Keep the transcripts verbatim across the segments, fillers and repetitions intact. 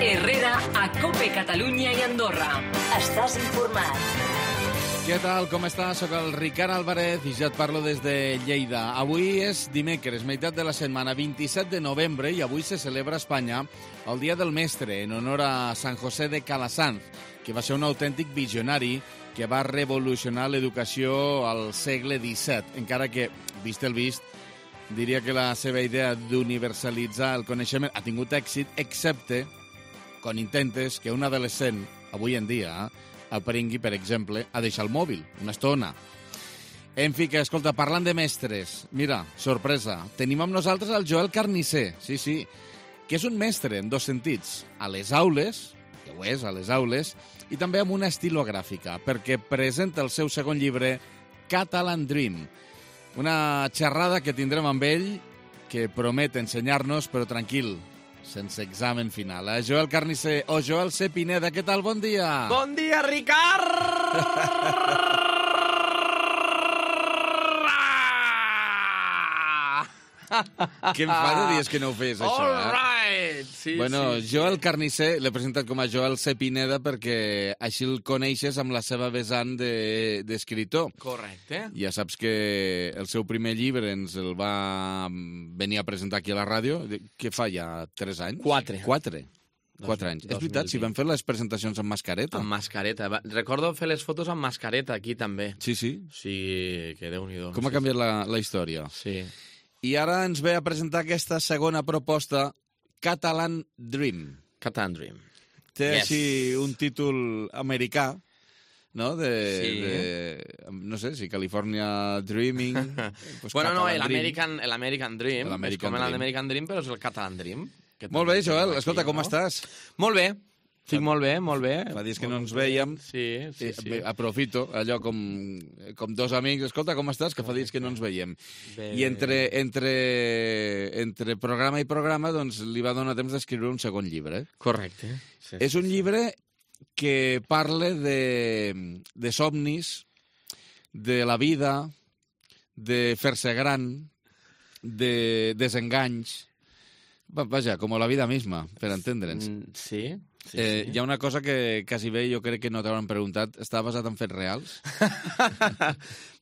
Herrera a Cope Catalunya i Andorra. Estàs informat. Què tal, com estàs? Soc el Ricard Álvarez i ja et parlo des de Lleida. Avui és dimecres, meitat de la setmana, vint-i-set de novembre, i avui se celebra a Espanya el Dia del Mestre, en honor a San José de Calasanz, que va ser un autèntic visionari que va revolucionar l'educació al segle disset, encara que, vist el vist, diria que la seva idea d'universalitzar el coneixement ha tingut èxit, excepte quan intentes que un adolescent, avui en dia, aprengui, per exemple, a deixar el mòbil una estona. En fi, que, escolta, parlant de mestres, mira, sorpresa, tenim amb nosaltres el Joel Carnisser, sí, sí, que és un mestre en dos sentits, a les aules, que ho és, a les aules, i també amb una estilogràfica, perquè presenta el seu segon llibre, Catalan Dream, una xerrada que tindrem amb ell que promet ensenyar-nos, però tranquil, sense examen final. Eh? Joel Carnisser o Joel C. Pineda, què tal? Bon dia! Bon dia, Ricard! Que em fa de dies que no ho fes, això, All eh? right! Sí, bueno, sí, Joel sí. Carnisser l'he presentat com a Joel C. Pineda perquè així el coneixes amb la seva vessant d'escriptor. De, Correcte. ja saps que el seu primer llibre ens el va venir a presentar aquí a la ràdio. Què fa ja? Tres anys? Quatre. Quatre. Quatre anys. És veritat, si vam fer les presentacions amb mascareta. Amb mascareta. Recordo fer les fotos amb mascareta aquí també. Sí, sí. Sí, que Déu-n'hi-do. Com ha canviat la, la història. Sí. I ara ens ve a presentar aquesta segona proposta, Catalan Dream. Catalan Dream. Té Yes. així un títol americà, no? De, Sí. de, no sé, si California Dreaming... Pues Bueno, no, Catalan Dream. l'American l'American Dream. L'American És com Dream. l'American Dream, però és el Catalan Dream. Que Molt bé, també Joel. tenim Escolta, aquí, com no? estàs? Molt bé. Estic molt bé, molt bé. Fa dies que no ens veiem. Sí, sí, sí. Eh, Aprofito, allò com, com dos amics. Escolta, com estàs? Que fa dies que no ens veiem. Bé. I entre, entre, entre programa i programa doncs, li va donar temps d'escriure un segon llibre. Correcte. Sí, És un llibre que parla de, de somnis, de la vida, de fer-se gran, de desenganys. Va- Vaja, com la vida misma, per entendre'ns. Mm, Sí, sí, Eh, sí. hi ha una cosa que quasi bé jo crec que no t'hauran preguntat. Està basat en fets reals?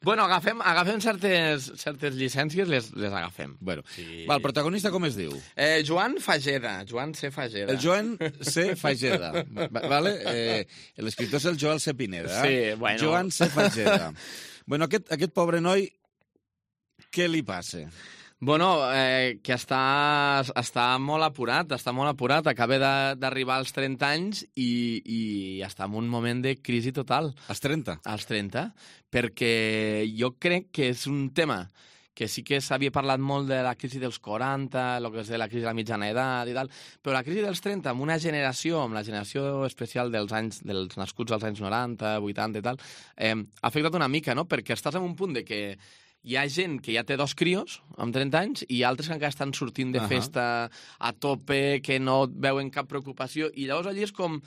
Bueno, agafem, agafem certes, certes llicències, les, les agafem. Bueno, Sí. va, el protagonista com es diu? Eh, Joan Fageda, Joan C. Fageda. El Joan C. Fageda. Va- Vale? Eh, L'escriptor és el Joel C. Pineda. Sí, bueno. Joan C. Fageda. Bueno, aquest, aquest pobre noi, què li passa? Bueno, eh, que està, està molt apurat, està molt apurat, acaba de- d'arribar als trenta anys i, i està en un moment de crisi total, Als trenta? als trenta, perquè jo crec que és un tema que sí que s'havia parlat molt de la crisi dels quaranta, el que és de la crisi de la mitjana edat i tal, però la crisi dels trenta, amb una generació, amb la generació especial dels anys dels nascuts als anys noranta, vuitanta i tal, eh, ha afectat una mica, no? Perquè estàs en un punt de que hi ha gent que ja té dos crios amb trenta anys i altres que encara estan sortint de Ahà. festa a tope, que no veuen cap preocupació, i llavors allí és com...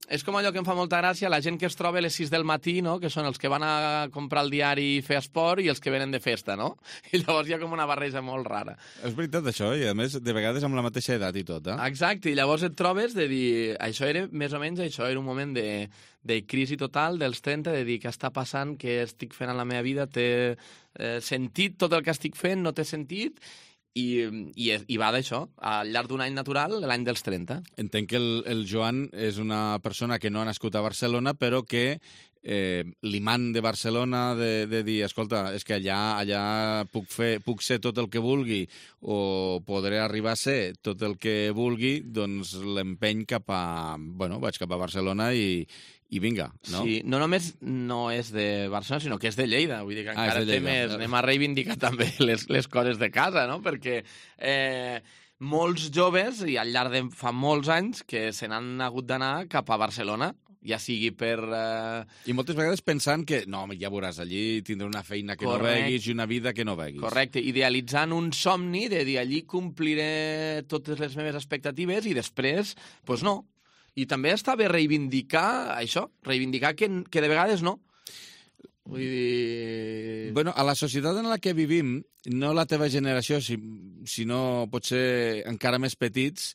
És com allò que em fa molta gràcia, la gent que es troba a les sis del matí, no? Que són els que van a comprar el diari i fer esport i els que venen de festa, no? I llavors hi ha com una barreja molt rara. És veritat, això, i a més, de vegades amb la mateixa edat i tot, eh? Exacte, i llavors et trobes de dir... Això era, més o menys, això era un moment de, de crisi total dels trenta, de dir què està passant, què estic fent en la meva vida, té eh, sentit tot el que estic fent, no té sentit, i, i, i va d'això, al llarg d'un any natural, l'any dels trenta. Entenc que el, el Joan és una persona que no ha nascut a Barcelona, però que eh, l'imant de Barcelona de, de dir, escolta, és que allà, allà puc, fer, puc ser tot el que vulgui o podré arribar a ser tot el que vulgui, doncs l'empeny cap a... Bueno, vaig cap a Barcelona i, i vinga, no? Sí, no només no és de Barcelona, sinó que és de Lleida. Vull dir que Ah, és encara de té Lleida. més... Anem a reivindicar també les, les coses de casa, no? Perquè eh, molts joves, i al llarg de fa molts anys, que se n'han hagut d'anar cap a Barcelona, ja sigui per... Eh, I moltes vegades pensant que, no, ja veuràs, allí tindré una feina que Correcte. no veguis i una vida que no veguis. correcte, idealitzant un somni de dir allí compliré totes les meves expectatives i després, doncs pues no. I també està bé reivindicar això, reivindicar que, que de vegades no. Vull dir... Bueno, a la societat en la que vivim, no la teva generació, si, sinó potser encara més petits,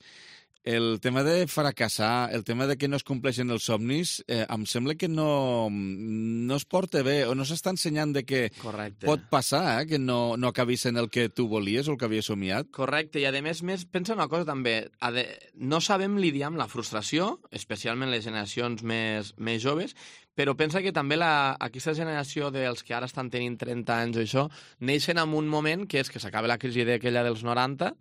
El tema de fracassar, el tema de que no es compleixen els somnis, eh, em sembla que no, no es porta bé, o no s'està ensenyant de que Correcte. pot passar, eh, que no, no acabis en el que tu volies o el que havies somiat. Correcte, i a més, més pensa una cosa també, a de, no sabem lidiar amb la frustració, especialment les generacions més, més joves, però pensa que també la, aquesta generació dels que ara estan tenint trenta anys o això, neixen en un moment que és que s'acaba la crisi d'aquella dels noranta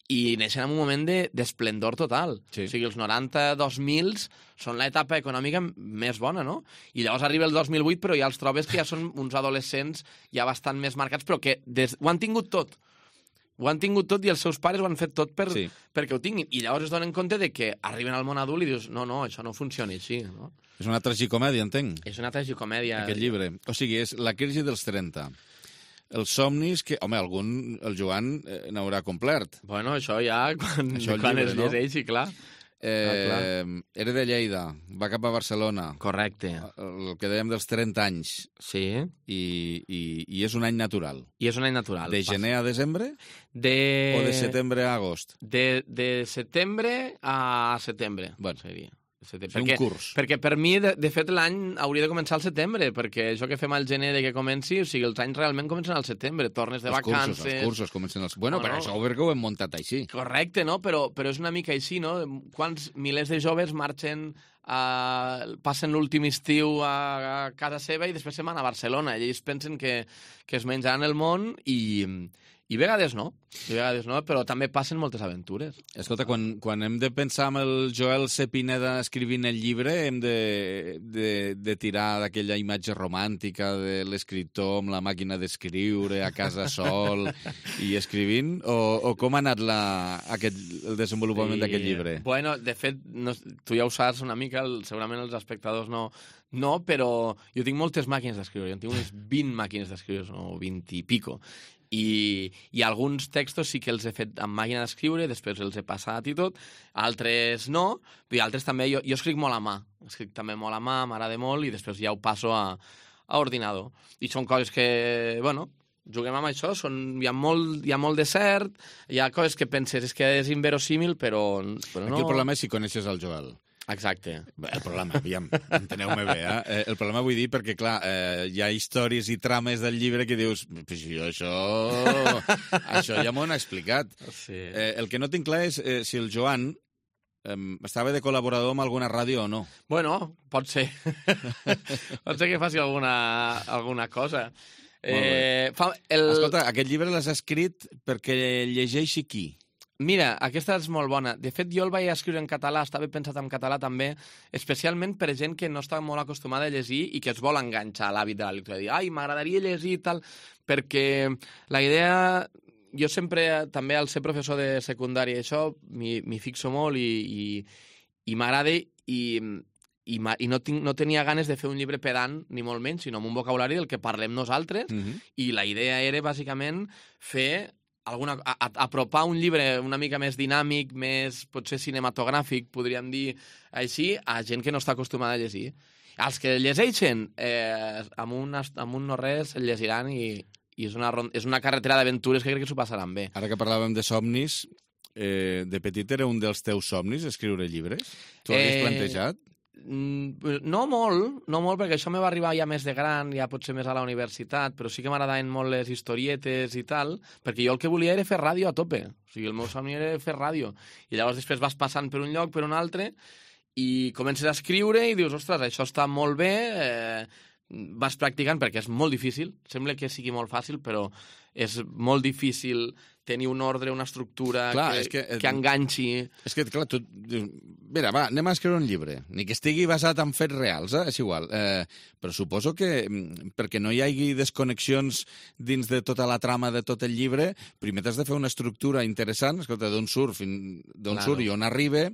i neixen en un moment d'esplendor de, total. Sí. O sigui, els noranta dos mil són l'etapa econòmica més bona, no? I llavors arriba el dos mil vuit, però ja els trobes que ja són uns adolescents ja bastant més marcats, però que des, ho han tingut tot. Ho han tingut tot i els seus pares ho han fet tot per, Sí. perquè ho tinguin. I llavors es donen compte de que arriben al món adult i dius, no, no, això no funciona així, no? És una tragicomèdia, entenc, És una tragicomèdia. aquest llibre. O sigui, és la crisi dels trenta. Els somnis que... Home, algun, el Joan, eh, n'haurà complert. Bueno, això ja, quan, Això el quan llibre, es no? llegeixi, clar. Eh, era de Lleida, va cap a Barcelona. Correcte. El que dèiem dels trenta anys. Sí. I, i, i és un any natural. I és un any natural. De gener a desembre De... o de setembre a agost? De, de setembre a setembre, Bueno. seria. Setembre. És un Perquè, curs. perquè per mi, de, de fet, l'any hauria de començar al setembre, perquè això que fem al gener de que comenci, o sigui, els anys realment comencen al setembre, tornes de Els cursos, vacances... els cursos comencen els... Bueno, No, però no. això perquè ho hem muntat així. Correcte, no? Però, però és una mica així, no? Quants milers de joves marxen, a, passen l'últim estiu a, a casa seva i després se'n van a Barcelona. I ells pensen que, que es menjaran el món i, i a vegades no. I a vegades no, però també passen moltes aventures. Escolta, quan, quan hem de pensar amb el Joel C. Pineda escrivint el llibre, hem de, de, de tirar d'aquella imatge romàntica de l'escriptor amb la màquina d'escriure a casa sol i escrivint? O, o com ha anat la, aquest, el desenvolupament Sí. d'aquest llibre? Bueno, de fet, no, tu ja ho saps una mica, el, segurament els espectadors no, no, però jo tinc moltes màquines d'escriure, jo tinc unes vint màquines d'escriure, o vint i pico, i, i alguns textos sí que els he fet amb màquina d'escriure, després els he passat i tot, altres no, i altres també, jo, jo escric molt a mà, escric també molt a mà, m'agrada molt, i després ja ho passo a, a ordinador. I són coses que, bueno, juguem amb això, són, hi, ha molt, hi ha molt de cert, hi ha coses que penses és que és inverosímil, però, però no... Aquí el problema és si coneixes el Joel. Exacte. Bé, el problema, aviam, enteneu-me bé, eh? El problema vull dir perquè, clar, eh, hi ha històries i trames del llibre que dius, pues jo això... això ja m'ho han explicat. Sí. Eh, el que no tinc clar és eh, si el Joan eh, estava de col·laborador amb alguna ràdio o no. Bueno, pot ser. pot ser que faci alguna, alguna cosa. Eh, fa, el... Escolta, aquest llibre l'has escrit perquè llegeixi qui? Mira, aquesta és molt bona. De fet, jo el vaig escriure en català, estava pensat en català també, especialment per gent que no està molt acostumada a llegir i que es vol enganxar a l'hàbit de la lectura. Dir, ai, m'agradaria llegir i tal, perquè la idea... Jo sempre, també al ser professor de secundària, això m'hi fixo molt i, i, i m'agrada i, i, i no, tinc, no tenia ganes de fer un llibre pedant, ni molt menys, sinó amb un vocabulari del que parlem nosaltres, Mm-hmm. i la idea era, bàsicament, fer... Alguna, a, a, apropar un llibre una mica més dinàmic, més potser cinematogràfic, podríem dir així, a gent que no està acostumada a llegir. Els que llegeixen, eh, amb, un, amb un no res, el llegiran i, i és, una, és una carretera d'aventures que crec que s'ho passaran bé. Ara que parlàvem de somnis, eh, de petit era un dels teus somnis, escriure llibres? Tu havies Eh, plantejat? No molt, no molt, perquè això me va arribar ja més de gran, ja potser més a la universitat, però sí que m'agradaven molt les historietes i tal, perquè jo el que volia era fer ràdio a tope. O sigui, el meu somni era fer ràdio. I llavors després vas passant per un lloc, per un altre, i comences a escriure i dius, ostres, això està molt bé, eh, vas practicant, perquè és molt difícil, sembla que sigui molt fàcil, però és molt difícil tenir un ordre, una estructura Clar, que, és que, eh, que enganxi. És que, clar, tu dius, mira, va, anem a escriure un llibre, ni que estigui basat en fets reals, eh? És igual. Eh, però suposo que, mm, perquè no hi hagi desconnexions dins de tota la trama de tot el llibre, primer t'has de fer una estructura interessant, escolta, d'on surt, fin, d'on Claro. surt i on arriba,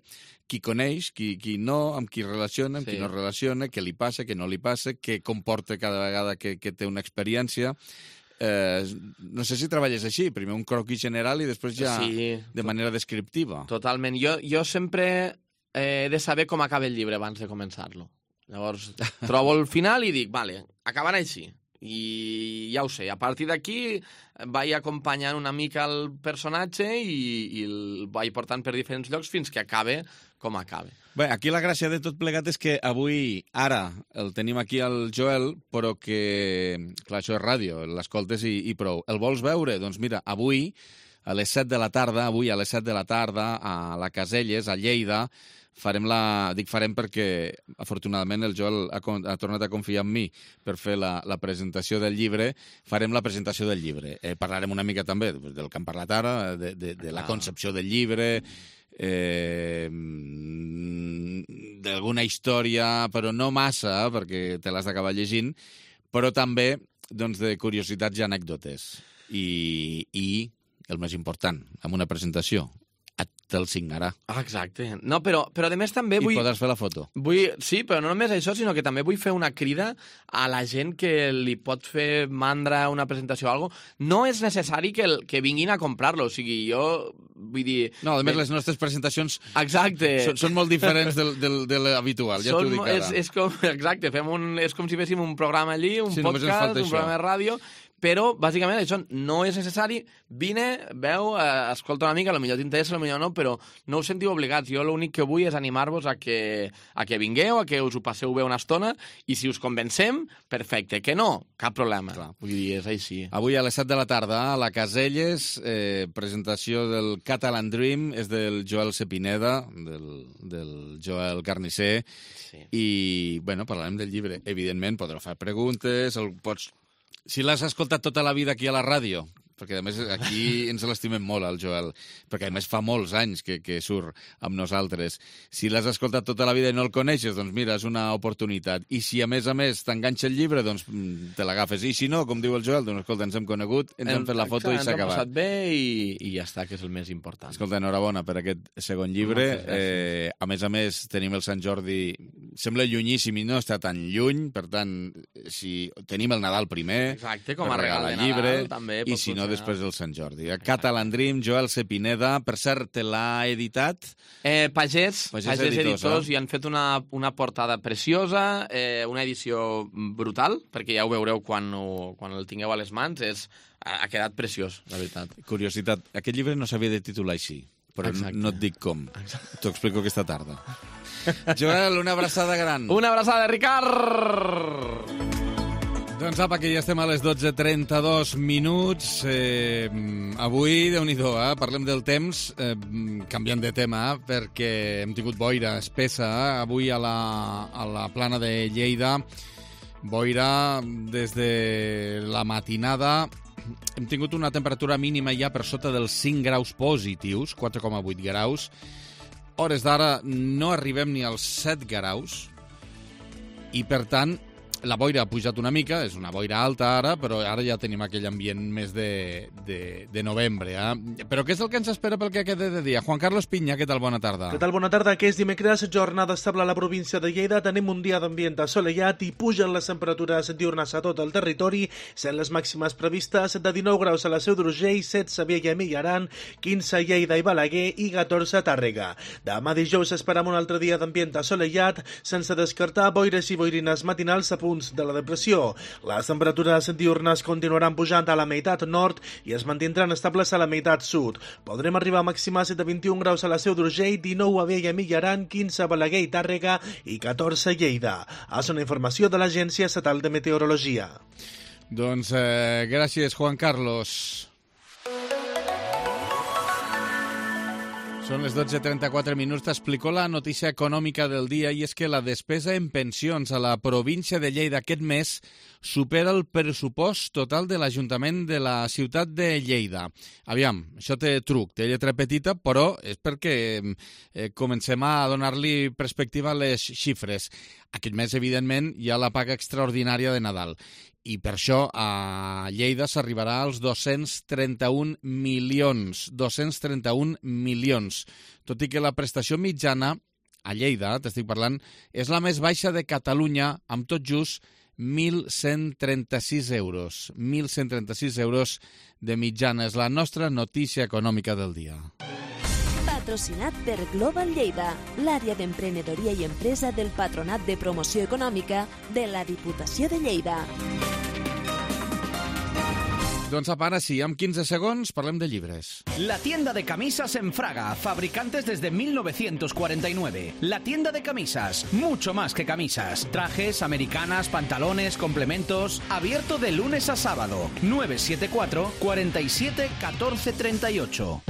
qui coneix, qui, qui no, amb qui relaciona, amb Sí. qui no relaciona, què li passa, què no li passa, què comporta cada vegada que, que té una experiència. Eh, no sé si treballes així, primer un croquis general i després ja Sí, de manera descriptiva. totalment. Jo, jo sempre eh, he de saber com acaba el llibre abans de començar-lo. Llavors, trobo el final i dic, vale, acabarà així. I ja ho sé, a partir d'aquí vaig acompanyant una mica el personatge i, i el vaig portant per diferents llocs fins que acabe com acabe. Bé, aquí la gràcia de tot plegat és que avui, ara, el tenim aquí al Joel, però que, clar, això és ràdio, l'escoltes i, i prou. El vols veure? Doncs mira, avui, a les set de la tarda, avui a les set de la tarda, a la Caselles, a Lleida, farem la... Dic farem perquè, afortunadament, el Joel ha, ha tornat a confiar en mi per fer la, la presentació del llibre. Farem la presentació del llibre. Eh, parlarem una mica també del que hem parlat ara, de, de, de la concepció del llibre, eh, d'alguna història, però no massa, perquè te l'has d'acabar llegint, però també doncs, de curiositats i anècdotes. I, i el més important, amb una presentació, te'l signarà. Ah, exacte. No, però, però a més també vull... I podràs fer la foto. Vull, sí, però no només això, sinó que també vull fer una crida a la gent que li pot fer mandra una presentació o alguna cosa. No és necessari que, el, que vinguin a comprar-lo. O sigui, jo vull dir... No, a més, les nostres presentacions exacte. Són, són molt diferents del, del, de l'habitual, ja t'ho dic ara. És, és com, exacte, fem un, és com si féssim un programa allí, un sí, podcast, un programa de ràdio... Però, bàsicament, això no és necessari. Vine, veu, eh, escolta una mica, potser t'interessa, potser no, però no us sentiu obligats. Jo l'únic que vull és animar-vos a que, a que vingueu, a que us ho passeu bé una estona, i si us convencem, perfecte. Que no, cap problema. Clar. Vull dir, és així. Avui a les set de la tarda, a la Caselles, eh, presentació del Catalan Dream, és del Joel Cepineda, del, del Joel Carnisser, sí. I, bueno, parlarem del llibre. Evidentment, podreu fer preguntes, el pots... Si l'has escoltat tota la vida aquí a la ràdio, perquè a més aquí ens l'estimem molt, el Joel, perquè a més fa molts anys que, que surt amb nosaltres. Si l'has escoltat tota la vida i no el coneixes, doncs mira, és una oportunitat. I si a més a més t'enganxa el llibre, doncs te l'agafes. I si no, com diu el Joel, doncs escolta, ens hem conegut, ens hem, hem fet la foto i s'ha acabat. Ens hem passat bé i, i ja està, que és el més important. Escolta, enhorabona per aquest segon llibre. Eh, a més a més, tenim el Sant Jordi... Sembla llunyíssim i no està tan lluny, per tant, si tenim el Nadal primer, exacte, com a regal de llibre, Nadal, també i si no, després del Sant Jordi. A Catalan Dream, Joel Cepineda, per cert, te l'ha editat? Eh, Pagès, Pagès, Pagès Editors, Editors, i han fet una, una portada preciosa, eh, una edició brutal, perquè ja ho veureu quan, ho, quan el tingueu a les mans, és, ha, ha quedat preciós, la veritat. Curiositat, aquest llibre no s'havia de titular així, però exacte. No et dic com. T'ho explico aquesta tarda. Joel, una abraçada gran. Una abraçada, Ricard! Doncs apa, que ja estem a les dotze trenta-dos minuts. Eh, avui, déu-n'hi-do, eh? Parlem del temps, eh, canviant de tema, perquè hem tingut boira espessa eh? avui a la, a la plana de Lleida. Boira des de la matinada. Hem tingut una temperatura mínima ja per sota dels cinc graus positius, quatre coma vuit graus. Hores d'ara no arribem ni als set graus i, per tant, la boira ha pujat una mica, és una boira alta ara, però ara ja tenim aquell ambient més de, de, de novembre. Eh? Però què és el que ens espera pel que queda de dia? Juan Carlos Pinya, què tal? Bona tarda. Què tal? Bona tarda. Que és dimecres, jornada estable a la província de Lleida. Tenim un dia d'ambient assolellat i pugen les temperatures diurnes a tot el territori, sent les màximes previstes de dinou graus a la Seu d'Urgell, setze a Viella i Millaran, quinze a Lleida i Balaguer i catorze a Tàrrega. Demà dijous esperam un altre dia d'ambient assolellat, sense descartar boires i boirines matinals a punts de la depressió. Les temperatures diurnes continuaran pujant a la meitat nord i es mantindran estables a la meitat sud. Podrem arribar a màximes de vint-i-un graus a la Seu d'Urgell, dinou a Viella i Millaran, quinze a Balaguer i Tàrrega i catorze a Lleida. És una informació de l'Agència Estatal de Meteorologia. Doncs eh, gràcies, Juan Carlos. Són les dotze trenta-quatre minuts. T'explico la notícia econòmica del dia, i és que la despesa en pensions a la província de Lleida aquest mes supera el pressupost total de l'Ajuntament de la ciutat de Lleida. Aviam, això té truc, té lletra petita, però és perquè eh, comencem a donar-li perspectiva a les xifres. Aquest mes, evidentment, hi ha la paga extraordinària de Nadal. I per això a Lleida s'arribarà als dos-cents trenta-un milions. dos-cents trenta-un milions. Tot i que la prestació mitjana a Lleida, t'estic parlant, és la més baixa de Catalunya, amb tot just mil cent trenta-sis euros. mil cent trenta-sis euros de mitjana. És la nostra notícia econòmica del dia. Patrocinat per Global Lleida, l'àrea d'emprenedoria i empresa del Patronat de Promoció Econòmica de la Diputació de Lleida. Doncs apa, ara sí, amb quinze segons parlem de llibres. La tienda de camisas en Fraga, fabricantes desde mil novecientos cuarenta y nueve. La tienda de camisas, mucho más que camisas. Trajes, americanas, pantalones, complementos. Abierto de lunes a sábado. nueve siete cuatro, cuarenta y siete, catorce treinta y ocho.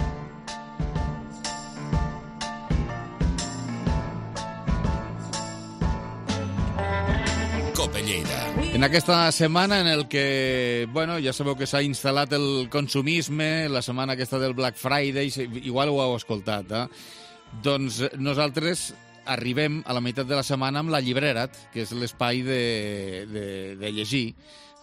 Cope Lleida. En aquesta setmana en el que, bueno, ja sabeu que s'ha instal·lat el consumisme, la setmana aquesta del Black Friday, igual ho heu escoltat, eh? Doncs nosaltres arribem a la meitat de la setmana amb la Llibrerat, que és l'espai de, de, de llegir,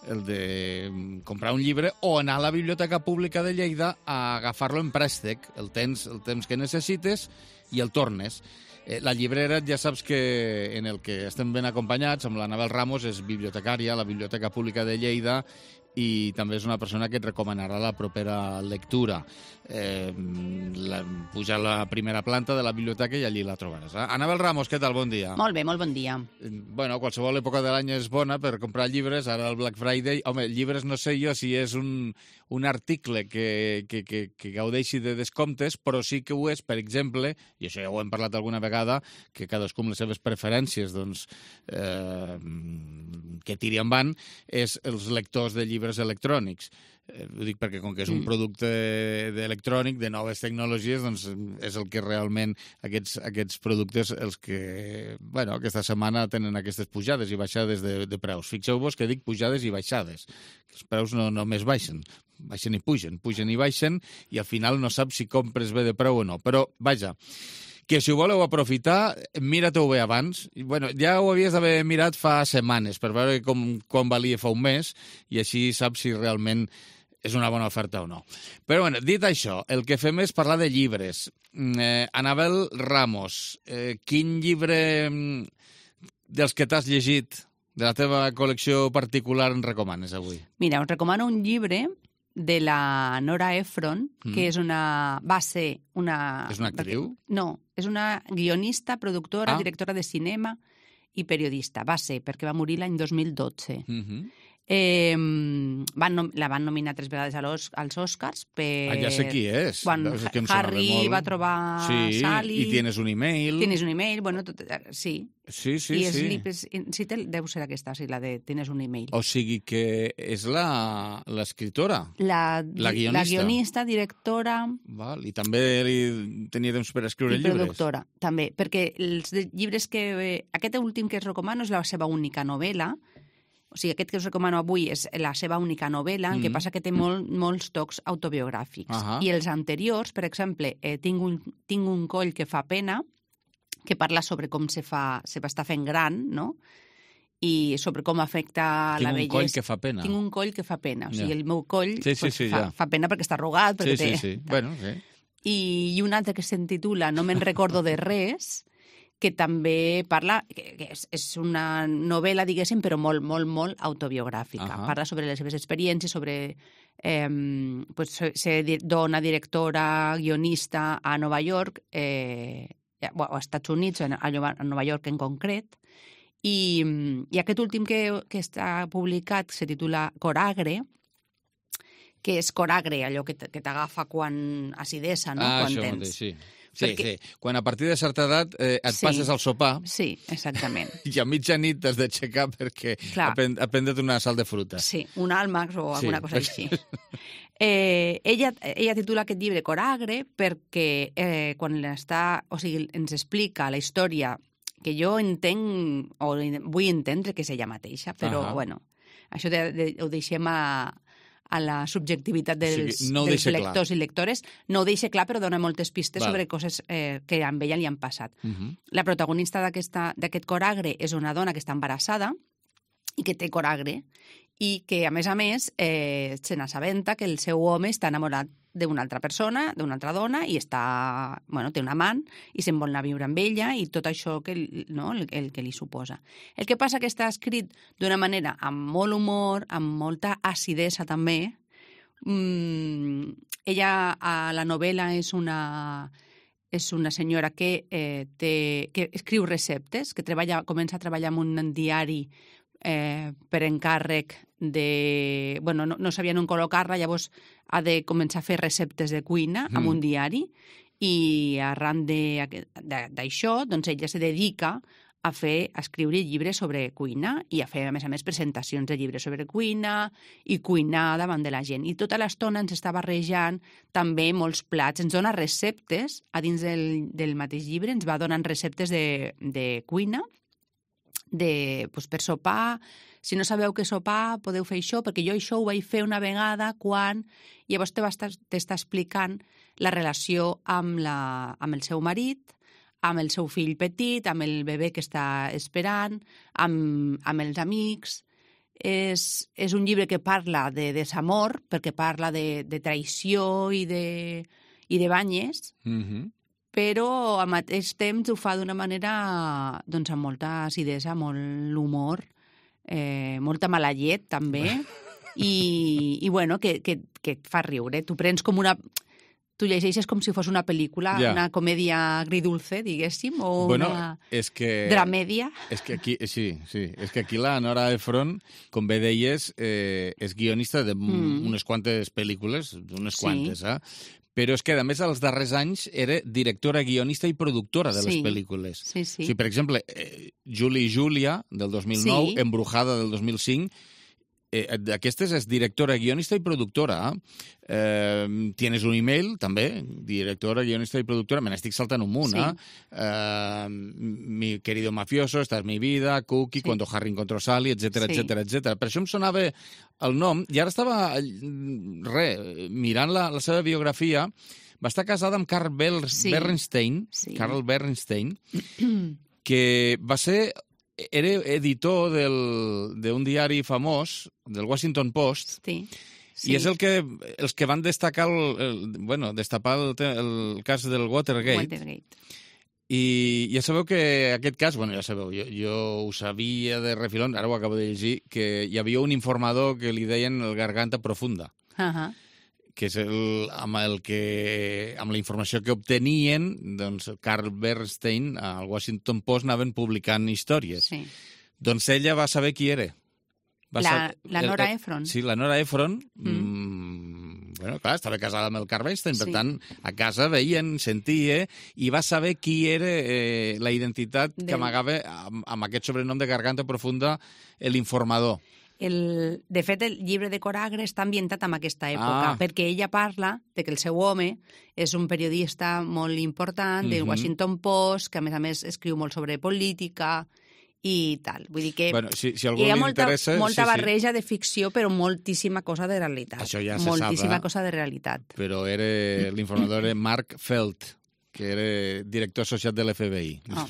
el de comprar un llibre o anar a la Biblioteca Pública de Lleida a agafar-lo en préstec, el temps, el temps que necessites i el tornes. Eh, la Llibrera, ja saps que en el que estem ben acompanyats, amb l'Anabel Ramos, és bibliotecària a la Biblioteca Pública de Lleida i també és una persona que et recomanarà la propera lectura. Eh, la, puja a la primera planta de la biblioteca i allí la trobaràs. Eh? Anabel Ramos, què tal? Bon dia. Molt bé, molt bon dia. Bueno, qualsevol època de l'any és bona per comprar llibres, ara el Black Friday... Home, llibres no sé jo si és un, un article que, que, que, que gaudeixi de descomptes, però sí que ho és, per exemple, i això ja ho hem parlat alguna vegada, que cadascú amb les seves preferències, doncs, eh, que tiri en van, és els lectors de llibres electrònics. Eh, ho dic perquè com que és un producte electrònic de noves tecnologies, doncs és el que realment aquests, aquests productes els que, bueno, aquesta setmana tenen aquestes pujades i baixades de, de preus. Fixeu-vos que dic pujades i baixades. Els preus no només baixen, baixen i pugen, pugen i baixen i al final no saps si compres bé de preu o no. Però, vaja, que si ho voleu aprofitar, mira-t'ho bé abans. I, bueno, ja ho havies d'haver mirat fa setmanes per veure com, com valia fa un mes i així saps si realment és una bona oferta o no. Però, bueno, dit això, el que fem és parlar de llibres. Eh, Anabel Ramos, eh, quin llibre dels que t'has llegit de la teva col·lecció particular en recomanes avui? Mira, us recomano un llibre de la Nora Ephron, mm. que és una... va ser una... És una actriu? No, és una guionista, productora, ah. directora de cinema i periodista. Va ser, perquè va morir l'any dos mil dotze. Mhm. Eh, van nom la van nominar tres vegades als, als Oscars per... Ah, ja sé qui és. Quan és que Harry molt... va trobar sí, Sally... i tienes un email... Tienes un email, bueno, tot, sí. Sí, sí, I és sí. Lipes, sí, deu ser aquesta, sí, la de Tienes un email. O sigui que és l'escriptora, la, la guionista. La guionista, directora... Val, i també li tenia temps per escriure i llibres. I productora, també, perquè els llibres que... Eh, aquest últim que es recomano és la seva única novel·la. O sigui, aquest que us recomano avui és la seva única novel·la, mm. el que passa que té molt, molts tocs autobiogràfics. Uh -huh. I els anteriors, per exemple, eh, tinc, un, tinc un coll que fa pena, que parla sobre com se, fa, se va estar fent gran, no?, i sobre com afecta tinc la bellesa. Tinc un coll que fa pena. Tinc un coll que fa pena. O sigui, ja. el meu coll sí, sí, pues, sí, fa, ja. fa pena perquè està arrugat. Perquè sí, té... sí, sí. Bueno, sí. I, I un altre que s'intitula No me'n recordo de res, que també parla, que, que és, és una novel·la, diguéssim, però molt, molt, molt autobiogràfica. Uh -huh. Parla sobre les seves experiències, sobre eh, pues, ser dona, directora, guionista a Nova York, eh, o als Estats Units, a Nova York en concret, i, i aquest últim que, que està publicat se titula Coragre, que és coragre, allò que t'agafa quan acidesa, no? Ah, quan això tens. mateix, sí. Sí, Perquè... sí. Quan a partir de certa edat eh, et sí. passes al sopar... Sí, exactament. I a mitjanit t'has d'aixecar perquè ha prendre't una sal de fruta. Sí, un àlmax o alguna sí. cosa així. Eh, ella, ella titula aquest llibre Coragre perquè eh, quan està... O sigui, ens explica la història que jo entenc, o vull entendre que és ella mateixa, però, uh -huh. bueno, això de, de, ho deixem a... a la subjectivitat dels, o sigui, no dels lectors clar. I lectores. No ho deixa clar, però dona moltes pistes Val. Sobre coses eh, que amb ella li han passat. Uh -huh. La protagonista d'aquest coragre és una dona que està embarassada i que té coragre i que, a més a més, eh, se n'assabenta que el seu home està enamorat d'una altra persona, d'una altra dona, i està, bueno, té un amant i se'n vol anar a viure amb ella i tot això que, no, el, el que li suposa. El que passa que està escrit d'una manera amb molt humor, amb molta acidesa també. Mm, ella, a la novel·la, és una, és una senyora que, eh, té, que escriu receptes, que treballa, comença a treballar en un diari eh, per encàrrec de... Bueno, no, no sabien on col·locar-la, llavors ha de començar a fer receptes de cuina mm. amb un diari i arran d'això, doncs ella se dedica a fer, a escriure llibres sobre cuina i a fer, a més a més, presentacions de llibres sobre cuina i cuinar davant de la gent. I tota l'estona ens està barrejant també molts plats. Ens dona receptes, a dins del, del mateix llibre, ens va donant receptes de, de cuina, de, doncs, per sopar. Si no sabeu què sopar, podeu fer això, perquè jo això ho vaig fer una vegada quan... Llavors t'està explicant la relació amb, la, amb el seu marit, amb el seu fill petit, amb el bebè que està esperant, amb, amb els amics. És, és un llibre que parla de desamor, perquè parla de, de traïció i de, i de banyes, mm-hmm. però al mateix temps ho fa d'una manera doncs, amb molta acidesa, molt humor, eh, molta mala llet també, i, i bueno, que, que, que et fa riure. Tu prens com una... Tu llegeixes com si fos una pel·lícula, yeah. una comèdia agridulce, diguéssim, o bueno, una és que, dramèdia. És que aquí, sí, sí, és que aquí la Nora Ephron, com bé deies, eh, és guionista d'unes mm. quantes pel·lícules, unes sí. quantes, eh? Però és que, a més, als darrers anys era directora, guionista i productora de sí. les pel·lícules. Sí, sí. O sigui, per exemple, eh, Julie i Julia, del dos mil nou, sí. Embrujada, del dos mil cinc, eh, d'aquestes és directora, guionista i productora. Eh, tienes un email, també, directora, guionista i productora. Me n'estic saltant un munt, sí. eh? eh? Mi querido mafioso, esta es mi vida, Cookie, sí. Cuando Harry encontró Sally, etcètera, sí. etcètera, etcètera. Per això em sonava el nom, i ara estava, re, mirant la, la seva biografia. Va estar casada amb Carl Ber sí. Bernstein, sí. Carl Bernstein, que va ser... Era editor d'un diari famós, del Washington Post, sí. Sí. i és el que, els que van destacar el, el, bueno, destapar el, el cas del Watergate. Watergate. I ja sabeu que aquest cas, bueno, ja sabeu, jo, jo ho sabia de refilón, ara ho acabo de llegir, que hi havia un informador que li deien el Garganta Profunda. Ahà. Uh-huh. Que és el, amb, el que, amb la informació que obtenien, doncs Carl Bernstein al Washington Post anaven publicant històries. Sí. Doncs ella va saber qui era. Va la, saber, la Nora Ephron. Sí, la Nora Ephron. Mm. Mm. Bueno, clar, estava casada amb el Carl Bernstein, per sí. tant, a casa veien, sentia, i va saber qui era eh, la identitat de... que amagava amb, amb aquest sobrenom de Garganta Profunda, l'informador. El, de fet, el llibre de Coragre està ambientat en aquesta època, ah. perquè ella parla de que el seu home és un periodista molt important del mm-hmm. Washington Post, que a més a més escriu molt sobre política i tal. Vull dir que bueno, si, si algú hi ha li molta, interessa, molta sí, barreja sí. de ficció, però moltíssima cosa de realitat. Això ja se moltíssima sap, eh? cosa de realitat. Però era l'informador era Mark Felt, que era director associat de l'F B I. Oh.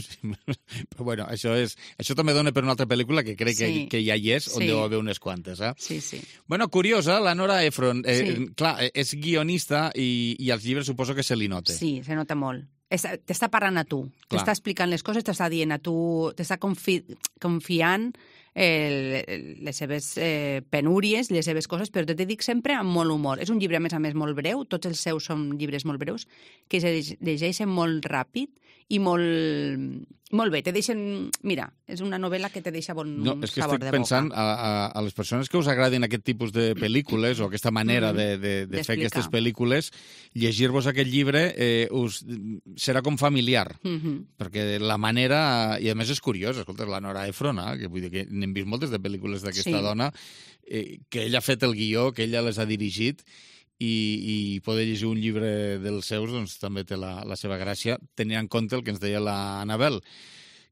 Però bueno, això, és, això també dona per una altra pel·lícula que crec sí. que, que ja hi és, on sí. deu haver unes quantes. Eh? Sí, sí. Bueno, curiosa, la Nora Ephron. Eh, sí. Clar, és guionista i, i als llibres suposo que se li nota. Sí, se nota molt. T'està parlant a tu, t'està explicant les coses, t'està dient a tu, t'està confi confiant eh, les seves eh, penúries, les seves coses, però te dic sempre amb molt humor. És un llibre, a més a més, molt breu, tots els seus són llibres molt breus, que se llegeixen molt ràpid i molt, molt bé. Te deixen... Mira, és una novel·la que te deixa bon no, és que sabor de boca. estic pensant a, a, a les persones que us agraden aquest tipus de pel·lícules o aquesta manera mm -hmm. de, de, de fer aquestes pel·lícules, llegir-vos aquest llibre eh, us, serà com familiar, mm -hmm. perquè la manera... I a més és curiós, escolta, la Nora Ephron, eh, que vull dir que n'hem vist moltes de pel·lícules d'aquesta sí. dona, eh, que ella ha fet el guió, que ella les ha dirigit, i, i poder llegir un llibre dels seus doncs, també té la, la seva gràcia, tenint en compte el que ens deia l'Anabel,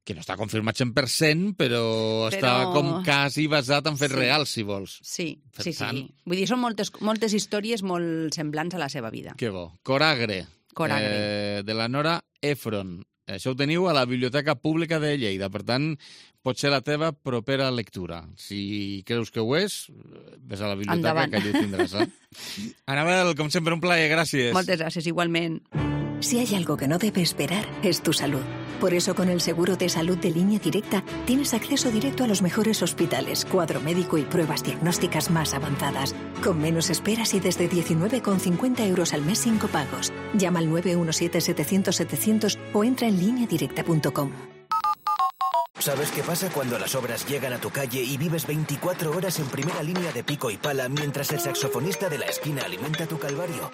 que no està confirmat cent per cent, però, però... està com quasi basat en fets sí. reals, si vols. Sí, per sí, tant... sí. Vull dir, són moltes, moltes històries molt semblants a la seva vida. Que bo. Coragre, Coragre. Eh, de la Nora Ephron. Això ho teniu a la Biblioteca Pública de Lleida, per tant, pot ser la teva propera lectura. Si creus que ho és, ves a la biblioteca, Endavant. que allà ho tindràs. Eh? Anabel, com sempre, un plaer, gràcies. Moltes gràcies, igualment. Si hay algo que no debe esperar, es tu salud. Por eso, con el seguro de salud de Línea Directa, tienes acceso directo a los mejores hospitales, cuadro médico y pruebas diagnósticas más avanzadas. Con menos esperas y desde diecinueve con cincuenta euros al mes sin copagos. Llama al nueve uno siete, setecientos, setecientos o entra en línea directa punto com. ¿Sabes qué pasa cuando las obras llegan a tu calle y vives veinticuatro horas en primera línea de pico y pala mientras el saxofonista de la esquina alimenta tu calvario?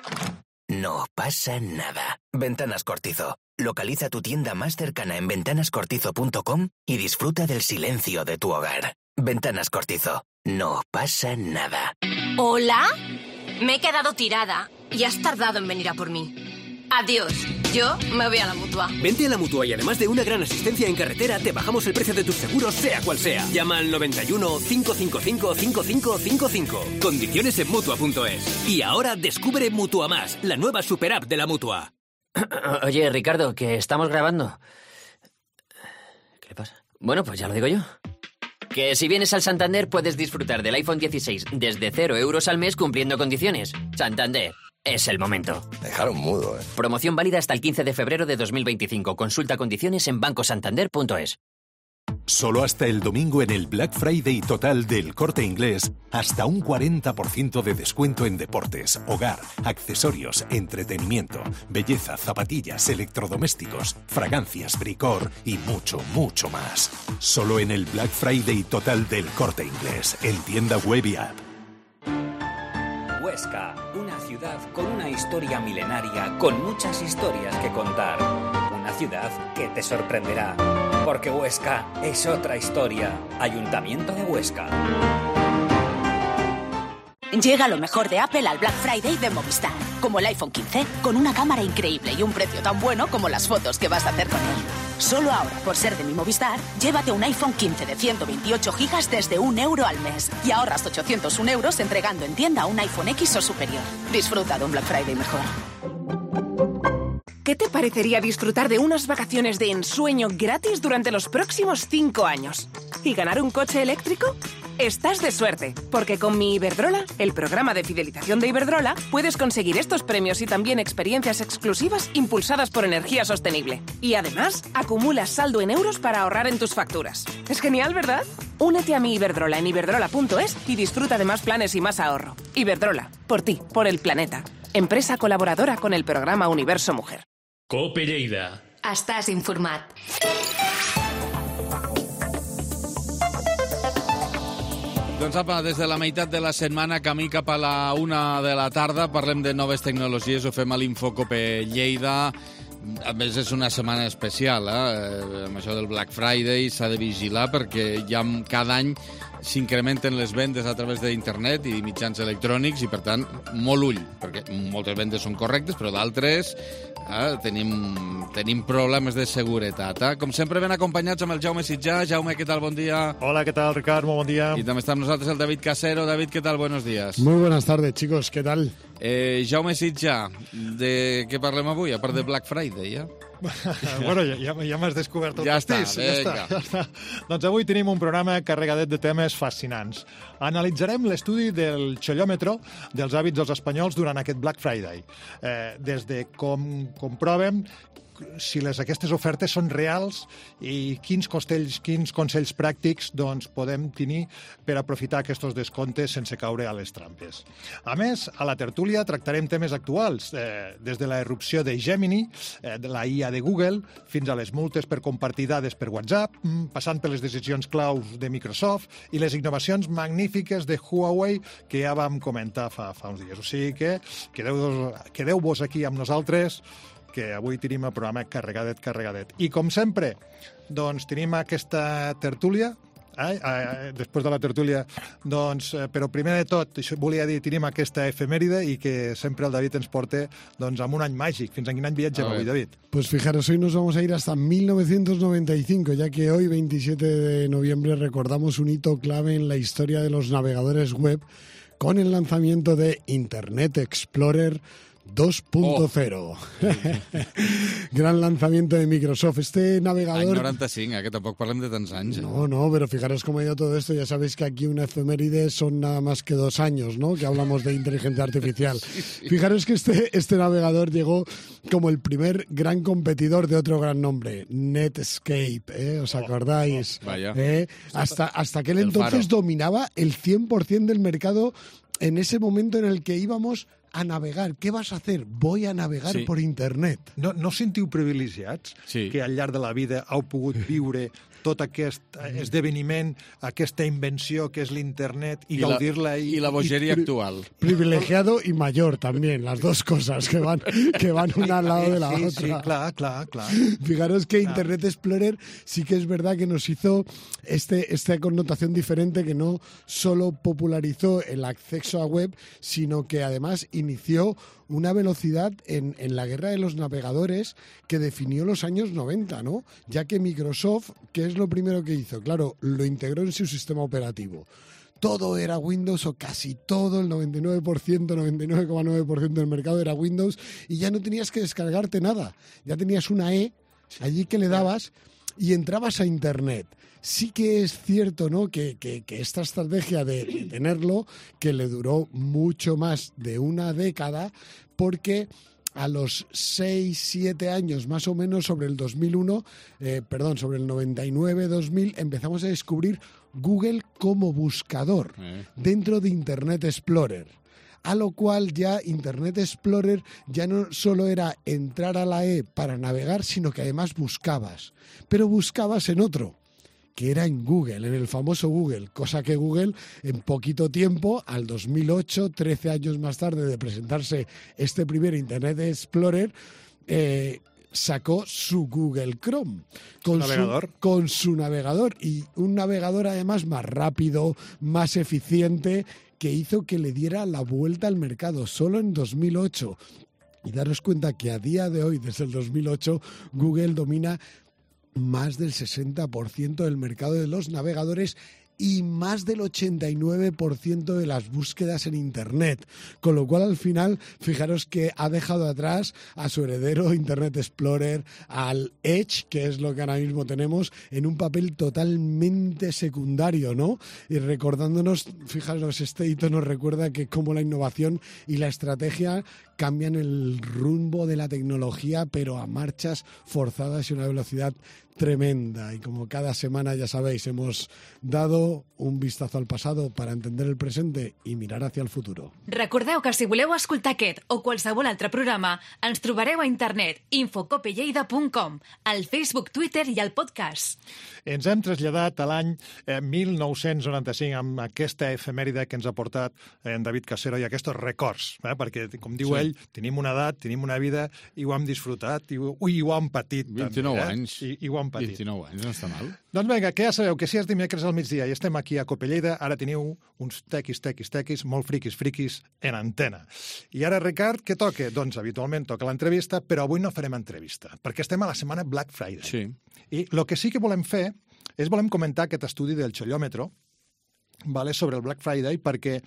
No pasa nada. Ventanas Cortizo. Localiza tu tienda más cercana en ventanas cortizo punto com y disfruta del silencio de tu hogar. Ventanas Cortizo. No pasa nada. ¿Hola? Me he quedado tirada y has tardado en venir a por mí. Adiós. Yo me voy a la Mutua. Vente a la Mutua y además de una gran asistencia en carretera, te bajamos el precio de tus seguros, sea cual sea. Llama al noventa y uno, cinco cinco cinco, cinco cinco cinco cinco. Condiciones en Mutua punto es. Y ahora descubre Mutua Más, la nueva super app de la Mutua. Oye, Ricardo, que estamos grabando. ¿Qué le pasa? Bueno, pues ya lo digo yo. Que si vienes al Santander puedes disfrutar del iPhone dieciséis desde cero euros al mes cumpliendo condiciones. Santander. Es el momento. Dejaron mudo, ¿eh? Promoción válida hasta el quince de febrero de dos mil veinticinco. Consulta condiciones en banco santander punto es. Solo hasta el domingo en el Black Friday total del Corte Inglés, hasta un cuarenta por ciento de descuento en deportes, hogar, accesorios, entretenimiento, belleza, zapatillas, electrodomésticos, fragancias, bricor y mucho, mucho más. Solo en el Black Friday total del Corte Inglés, en tienda web y app. Huesca, una ciudad con una historia milenaria, con muchas historias que contar. Una ciudad que te sorprenderá, porque Huesca es otra historia. Ayuntamiento de Huesca. Llega lo mejor de Apple al Black Friday de Movistar, como el iPhone quince, con una cámara increíble y un precio tan bueno como las fotos que vas a hacer con él. Solo ahora, por ser de mi Movistar, llévate un iPhone quince de ciento veintiocho gigas desde un euro al mes y ahorras ochocientos un euros entregando en tienda un iPhone X o superior. Disfruta de un Black Friday mejor. ¿Qué te parecería disfrutar de unas vacaciones de ensueño gratis durante los próximos cinco años? ¿Y ganar un coche eléctrico? Estás de suerte, porque con mi Iberdrola, el programa de fidelización de Iberdrola, puedes conseguir estos premios y también experiencias exclusivas impulsadas por energía sostenible. Y además, acumulas saldo en euros para ahorrar en tus facturas. Es genial, ¿verdad? Únete a mi Iberdrola en iberdrola punto es y disfruta de más planes y más ahorro. Iberdrola, por ti, por el planeta. Empresa colaboradora con el programa Universo Mujer. Cope Lleida. Estàs informat. Doncs apa, des de la meitat de la setmana, camí cap a la una de la tarda, parlem de noves tecnologies, ho fem a l'Infocope Lleida. A més, és una setmana especial, eh? Amb això del Black Friday s'ha de vigilar perquè ja cada any s'incrementen les vendes a través d'internet i mitjans electrònics i, per tant, molt ull, perquè moltes vendes són correctes, però d'altres eh, tenim, tenim problemes de seguretat. Eh? Com sempre, ben acompanyats amb el Jaume Sitjà. Jaume, què tal? Bon dia. Hola, ¿qué tal, Ricard? Muy buen día. Y también está con nosotros el David Casero. David, ¿qué tal? Buenos días. Muy buenas tardes, chicos. ¿Qué tal? Eh, Jaume Sitjà, de què parlem avui? A part de Black Friday, ja? Bueno, ja, ja m'has descobert el ja pastís. Està, ja està, ja està. Doncs avui tenim un programa carregadet de temes fascinants. Analitzarem l'estudi del xollòmetre dels hàbits dels espanyols durant aquest Black Friday. Eh, des de com comprovem si les, aquestes ofertes són reals i quins, costells, quins consells pràctics doncs, podem tenir per aprofitar aquests descomptes sense caure a les trampes. A més, a la tertúlia tractarem temes actuals, eh, des de la erupció de Gemini, eh, de la I A de Google, fins a les multes per compartir dades per WhatsApp, passant per les decisions claus de Microsoft i les innovacions magnífiques de Huawei que ja vam comentar fa, fa uns dies. O sigui que quedeu-vos quedeu aquí amb nosaltres, que avui tenim el programa carregadet, carregadet. I, com sempre, doncs tenim aquesta tertúlia, eh? Eh, després de la tertúlia, doncs, eh, però primer de tot, això volia dir, tenim aquesta efemèride i que sempre el David ens porta doncs, amb un any màgic. Fins a quin any viatgem avui, David? Pues fijaros, hoy nos vamos a ir hasta mil novecientos noventa y cinco, ya que hoy, veintisiete de noviembre, recordamos un hito clave en la historia de los navegadores web con el lanzamiento de Internet Explorer dos punto cero. Oh. Gran lanzamiento de Microsoft. Este navegador... Any noranta-cinc, eh, que tampoc parlem de tants anys. Eh? No, no, pero fijaros cómo ha ido todo esto. Ya sabéis que aquí una efeméride son nada más que dos años, ¿no? Que hablamos de inteligencia artificial. Sí, sí. Fijaros que este, este navegador llegó como el primer gran competidor de otro gran nombre, Netscape, ¿eh? ¿Os acordáis? Oh, oh, vaya. ¿Eh? Hasta, hasta aquel entonces dominaba el cien por ciento del mercado en ese momento en el que íbamos a navegar. Què vas a hacer? Voy a navegar sí. por internet. No, no sentiu privilegiats sí. que al llarg de la vida heu pogut viure tot aquest esdeveniment, aquesta invenció que és l'internet i, I la- gaudir-la. i la bogeria pri- actual. Privilegiado y mayor también, las dos cosas que van, que van una al lado de la sí, otra. Sí, clar, clar, clar. Fijaros que Internet Explorer sí que es verdad que nos hizo este, esta connotación diferente, que no solo popularizó el acceso a web, sino que además inició una velocidad en, en la guerra de los navegadores que definió los años noventa, ¿no? Ya que Microsoft, ¿qué es lo primero que hizo? Claro, lo integró en su sistema operativo. Todo era Windows, o casi todo, el noventa y nueve por ciento, noventa y nueve coma nueve por ciento del mercado era Windows, y ya no tenías que descargarte nada. Ya tenías una E allí que le dabas y entrabas a Internet. Sí que es cierto, ¿no?, que, que, que esta estrategia de, de tenerlo, que le duró mucho más de una década, porque a los seis, siete años más o menos, sobre el dos mil uno, eh, perdón, sobre el noventa y nueve, dos mil, empezamos a descubrir Google como buscador dentro de Internet Explorer. A lo cual ya Internet Explorer ya no solo era entrar a la E para navegar, sino que además buscabas. Pero buscabas en otro, que era en Google, en el famoso Google, cosa que Google en poquito tiempo, al dos mil ocho, trece años más tarde de presentarse este primer Internet Explorer, eh, sacó su Google Chrome con navegador. Su, con su navegador, y un navegador además más rápido, más eficiente, que hizo que le diera la vuelta al mercado solo en dos mil ocho. Y daros cuenta que a día de hoy, desde el dos mil ocho, Google domina más del sesenta por ciento del mercado de los navegadores y más del ochenta y nueve por ciento de las búsquedas en Internet. Con lo cual, al final, fijaros que ha dejado atrás a su heredero Internet Explorer, al Edge, que es lo que ahora mismo tenemos, en un papel totalmente secundario, ¿no? Y recordándonos, fijaros, este hito nos recuerda que cómo la innovación y la estrategia cambian el rumbo de la tecnología, pero a marchas forzadas y una velocidad tremenda. Y como cada semana, ya sabéis, hemos dado un vistazo al pasado para entender el presente i mirar hacia el futuro. Recordeu que si voleu escoltar aquest o qualsevol altre programa, ens trobareu a internet infocopelleida punt com, al Facebook, Twitter i al podcast. Ens hem traslladat a l'any eh, mil nou-cents noranta-cinc amb aquesta efemèride que ens ha portat eh, en David Casero i aquests records, eh? Perquè, com diu Sí. ell, tenim una edat, tenim una vida i ho hem disfrutat i ho, i ho hem patit. vint-i-nou també, eh? anys. I, i ho hem patit. vint-i-nou anys, no està mal. Doncs vinga, que ja sabeu que si és dimecres al migdia i estem aquí a Copelleida, ara teniu uns tequis, tequis, tequis, molt friquis, friquis en antena. I ara, Ricard, què toca? Doncs habitualment toca l'entrevista, però avui no farem entrevista, perquè estem a la setmana Black Friday. Sí. I el que sí que volem fer és volem comentar aquest estudi del Xollòmetro, vale, sobre el Black Friday, perquè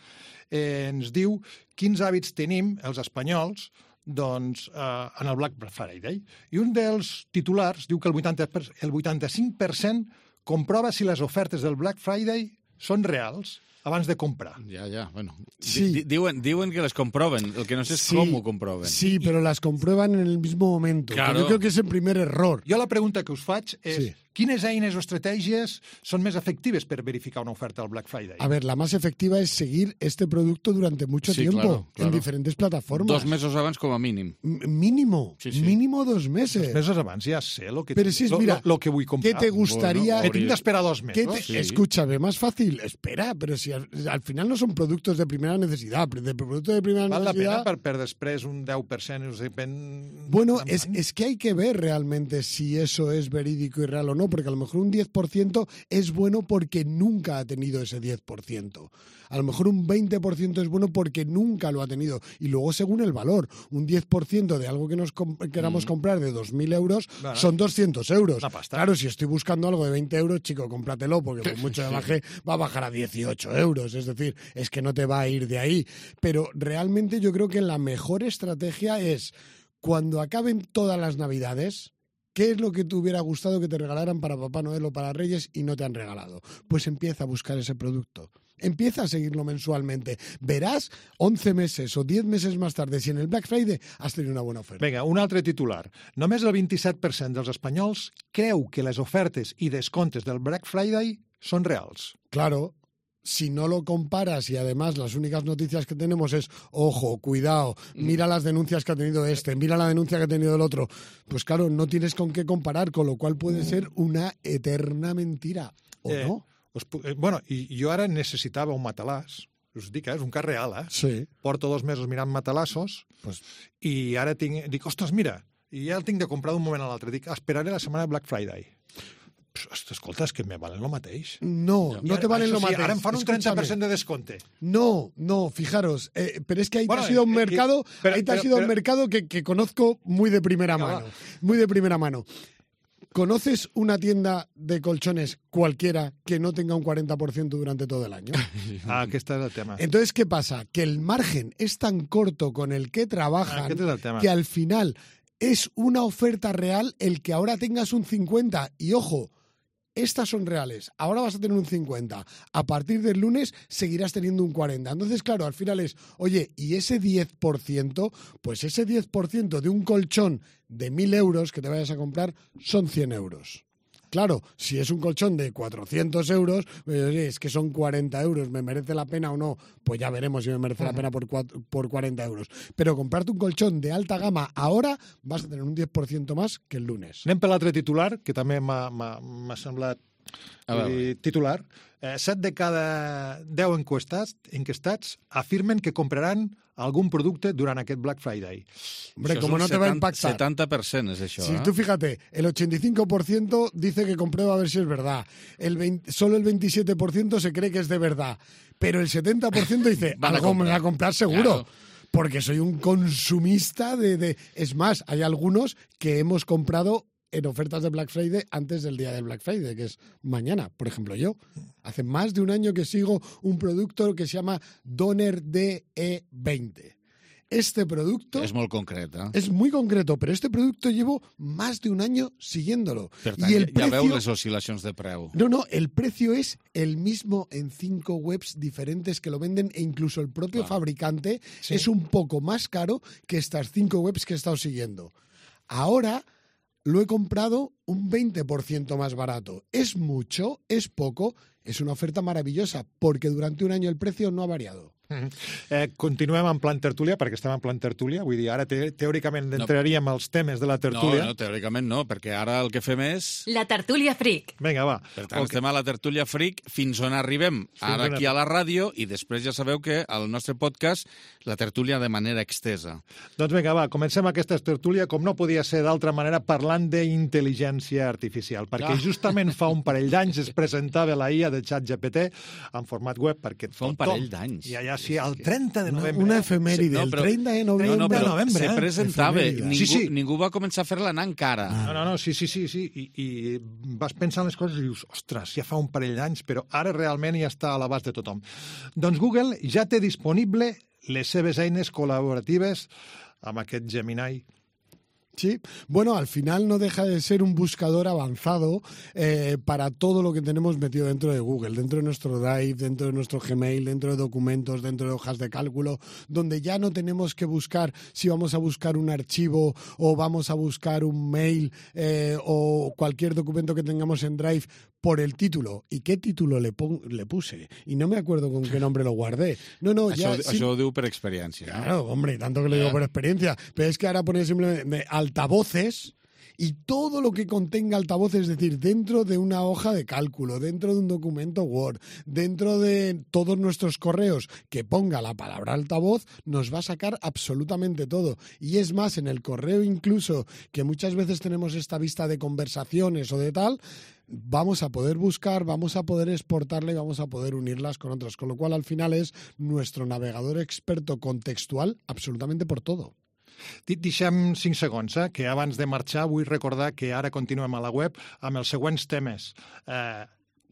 eh, ens diu quins hàbits tenim els espanyols doncs, eh, en el Black Friday. I un dels titulars diu que el vuitanta per cent, el vuitanta-cinc per cent comprova si les ofertes del Black Friday són reals abans de comprar. Ja, ja, bueno. Sí. Di- diuen, diuen que les comproven, el que no sé és Sí, com ho comproven. Sí, pero las comprueban en el mismo momento. que Claro. Yo creo que es el primer error. Jo la pregunta que us faig és Sí. quines eines o estratègies són més efectives per verificar una oferta al Black Friday? A ver, la más efectiva es seguir este producto durante mucho Sí, tiempo claro, claro. en diferentes plataformas. Dos mesos abans com a mínim. M- Mínimo, Sí, sí. mínimo dos meses. Dos mesos abans ja sé lo que, Pero si es, lo, mira, lo, lo que vull comprar. ¿qué te gustaría? Bueno, he tingut d'esperar dos ¿Qué mesos. te- Escúchame, más fácil, espera, pero si al, al final no son productos de primera necesidad, de productos de primera Val la necesidad... pena per, per després un deu per cent us depèn... Bueno, es, es que hay que ver realmente si eso es verídico y real o no, porque a lo mejor un diez por ciento es bueno porque nunca ha tenido ese diez por ciento. A lo mejor un veinte por ciento es bueno porque nunca lo ha tenido. Y luego según el valor, un diez por ciento de algo que nos com- queramos Mm. comprar de dos mil euros Bueno, son doscientos euros. una pasta. Claro, si estoy buscando algo de veinte euros, chico, cómpratelo, porque por mucho que baje, va a bajar a dieciocho euros. Es decir, es que no te va a ir de ahí. Pero realmente yo creo que la mejor estrategia es, cuando acaben todas las Navidades, ¿qué es lo que te hubiera gustado que te regalaran para Papá Noel o para Reyes y no te han regalado? Pues empieza a buscar ese producto. Empieza a seguirlo mensualmente. Verás once meses o diez meses más tarde si en el Black Friday has tenido una buena oferta. Vinga, un altre titular. Només el vint-i-set per cent dels espanyols creu que les ofertes i descomptes del Black Friday són reals. Claro. si no lo comparas y además las únicas noticias que tenemos es, ojo, cuidado, mira las denuncias que ha tenido este, mira la denuncia que ha tenido el otro, pues claro, no tienes con qué comparar, con lo cual puede ser una eterna mentira, ¿o eh, no? Us, eh, bueno, i jo ara necessitava un matalàs, us dic, eh, és un cas real, eh? Sí. Porto dos mesos mirant matalassos pues... i ara tinc, dic, ostres, mira, i ja el tinc de comprar d'un moment a l'altre, dic, esperaré la setmana de Black Friday. Escolta, és que me valen lo mateix. No, no te valen lo sí, mateix. Ahora me fan un treinta por ciento de desconte. No, no, fijaros, eh, pero es que ahí bueno, te has ido a un eh, mercado, eh, pero, ahí te has pero, ido a pero, un mercado que, que conozco muy de primera mano, muy de primera mano. ¿Conoces una tienda de colchones cualquiera que no tenga un cuarenta por ciento durante todo el año? Ah, que este es el tema. Entonces, ¿qué pasa? Que el margen es tan corto con el que trabajan ah, que, este es el tema. que al final es una oferta real el que ahora tengas un cincuenta. Y ojo, estas son reales. Ahora vas a tener un cincuenta. A partir del lunes seguirás teniendo un cuarenta. Entonces, claro, al final es, oye, ¿y ese diez por ciento? Pues ese diez por ciento de un colchón de mil euros que te vayas a comprar son cien euros. Claro, si es un colchón de cuatrocientos euros, pues, oye, es que son cuarenta euros, ¿me merece la pena o no? Pues ya veremos si me merece la pena por, por cuarenta euros. Pero comprarte un colchón de alta gama ahora vas a tener un diez por ciento más que el lunes. Anem per l'altre titular, que també m'ha semblat dir, titular. Eh, set de cada deu encuestats, enquestats afirmen que compraran algún producte durant aquest Black Friday. Hombre, como no te va a impactar. setenta per cent es eso. Si ¿eh? tú fíjate, el ochenta y cinco por ciento dice que comprueba a ver si es verdad. El veinte, solo el veintisiete por ciento se cree que es de verdad. Pero el setenta por ciento dice, algo me va a comprar seguro. Claro. Porque soy un consumista de, de... Es más, hay algunos que hemos comprado en ofertas de Black Friday antes del día del Black Friday, que es mañana. Por ejemplo, yo. Hace más de un año que sigo un producto que se llama Doner D E veinte. Este producto... És molt concret, eh? És muy concreto, pero este producto llevo más de un año siguiéndolo. Per tant, y el ja precio... veu les oscil·lacions de preu. No, no, el precio es el mismo en cinco webs diferentes que lo venden e incluso el propio claro. fabricante ¿Sí? es un poco más caro que estas cinco webs que he estado siguiendo. Ahora lo he comprado un veinte por ciento más barato. ¿Es mucho? ¿Es poco? Es una oferta maravillosa porque durante un año el precio no ha variado. Mm-hmm. eh, continuem en plan tertúlia, perquè estem en plan tertúlia, vull dir, ara te teòricament no. entraríem als temes de la tertúlia. No, no, teòricament no, perquè ara el que fem és... La tertúlia freak. Vinga, va. Per tant, okay. estem a la tertúlia freak fins on arribem. Fins ara aquí a la ràdio i després ja sabeu que al nostre podcast la tertúlia de manera extesa. Doncs vinga, va, comencem aquesta tertúlia, com no podia ser d'altra manera, parlant d'intel·ligència artificial, perquè ah. justament fa un parell d'anys es presentava la I A de ChatGPT en format web, perquè fa un parell d'anys. Ja, ja, sí, el trenta de novembre. Una efemèride, sí, no, però, el trenta de novembre. No, no, però novembre, se eh? presentava, ningú, sí, sí. ningú va començar a fer-la anar encara. No, no, no, sí, sí, sí, sí. I, i vas pensant les coses i dius, ostres, ja fa un parell d'anys, però ara realment ja està a l'abast de tothom. Doncs Google ja té disponible les seves eines col·laboratives amb aquest Gemini. Sí, bueno, al final no deja de ser un buscador avanzado eh, para todo lo que tenemos metido dentro de Google, dentro de nuestro Drive, dentro de nuestro Gmail, dentro de documentos, dentro de hojas de cálculo, donde ya no tenemos que buscar si vamos a buscar un archivo o vamos a buscar un mail eh, o cualquier documento que tengamos en Drive por el título. ¿Y qué título le, pon, le puse? Y no me acuerdo con qué nombre lo guardé. No, no, ya... Això, sí, això ho diu per experiència. Claro, hombre, tanto que lo digo por experiencia. Pero es que ahora pone simplemente altavoces y todo lo que contenga altavoces, es decir, dentro de una hoja de cálculo, dentro de un documento Word, dentro de todos nuestros correos que ponga la palabra altavoz, nos va a sacar absolutamente todo. Y es más, en el correo incluso, que muchas veces tenemos esta vista de conversaciones o de tal, vamos a poder buscar, vamos a poder exportarla y vamos a poder unirlas con otras. Con lo cual, al final, es nuestro navegador experto contextual absolutamente por todo. Deixem cinc segons, eh? Que abans de marxar vull recordar que ara continuem a la web amb els següents temes. Eh,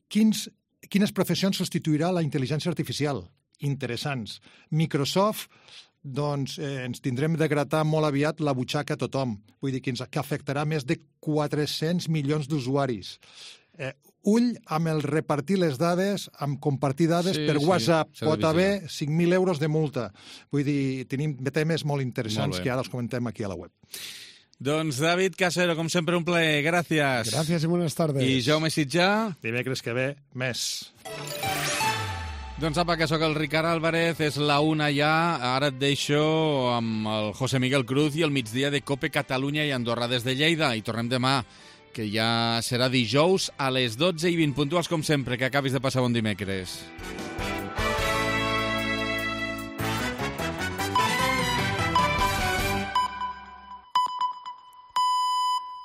quins, quines professions substituirà la intel·ligència artificial? Interessants. Microsoft, doncs eh, ens tindrem de gratar molt aviat la butxaca a tothom. Vull dir que, ens, que afectarà més de quatre-cents milions d'usuaris. Eh, ull amb el repartir les dades, amb compartir dades sí, per WhatsApp. Sí, pot haver cinc mil euros de multa. Vull dir, tenim temes molt interessants molt que ara els comentem aquí a la web. Doncs David Casero, com sempre, un plaer. Gràcies. Gràcies i buenas tardes. I Jaume Sitjà. Dimecres que ve, més. Doncs apa, que sóc el Ricard Álvarez, és la una ja, ara et deixo amb el José Miguel Cruz i el migdia de COPE Catalunya i Andorra des de Lleida, i tornem demà, que ja serà dijous a les dotze i vint puntuals com sempre, que acabis de passar bon dimecres.